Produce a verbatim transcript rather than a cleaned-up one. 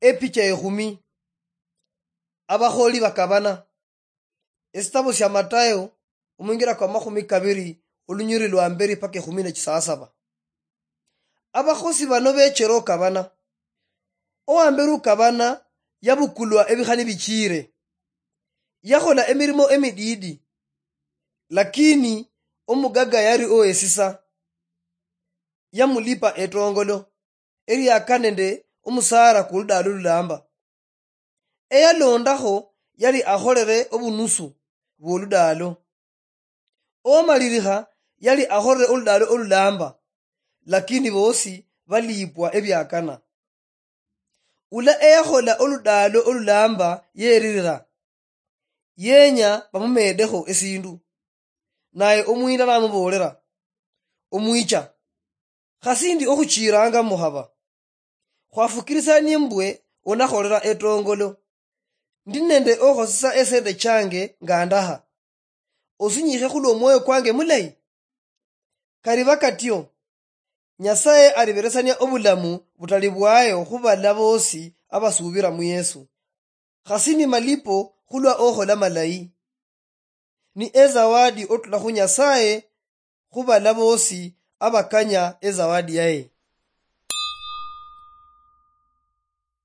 Epicha ekhumi. Abakholi bakabana. Esitabo sia Matayo, omwingira kwa makhumi kabiri, olunyiriri lwa mberi paka ekhumi ne chisasaba. Abakhosi bano bechera okabana. Owamberi ukabana yabukulwa ebikhani bichire. Yakhola emirimo emididi, lakini omugaga yari owesisa. Yamulipa etongolo eriaka nende omusara ku ludaalo lulamba. Eyalondakho yali akholere obunusu bw'oludaalo. Owamalirikha yali akholere oludaalo olulamba, lakini bosi baliipwa ebiakana. Ula eyakhola oludaalo olulamba yeririra, yenya bamumeedekho esindu. Naye omuyinda namuboolera, "Omwicha, khasindi okhuchiiranga mukhaba. Khwafukirisanie mbwe onakholera etongolo. Ndi nende okhosesa esente change nga ndaha. Osinyiikhe khulw'omwoyo kwange mulayi." Kariba katyo, Nyasaye aliberesania obulamu butali bwayo khubala bosi abasuubira mu Yesu. Khasi ni malipo khulwa okhola malayi. Ni ezawadi otula khu Nyasaye khubala bosi abakanya ezawadi yaye.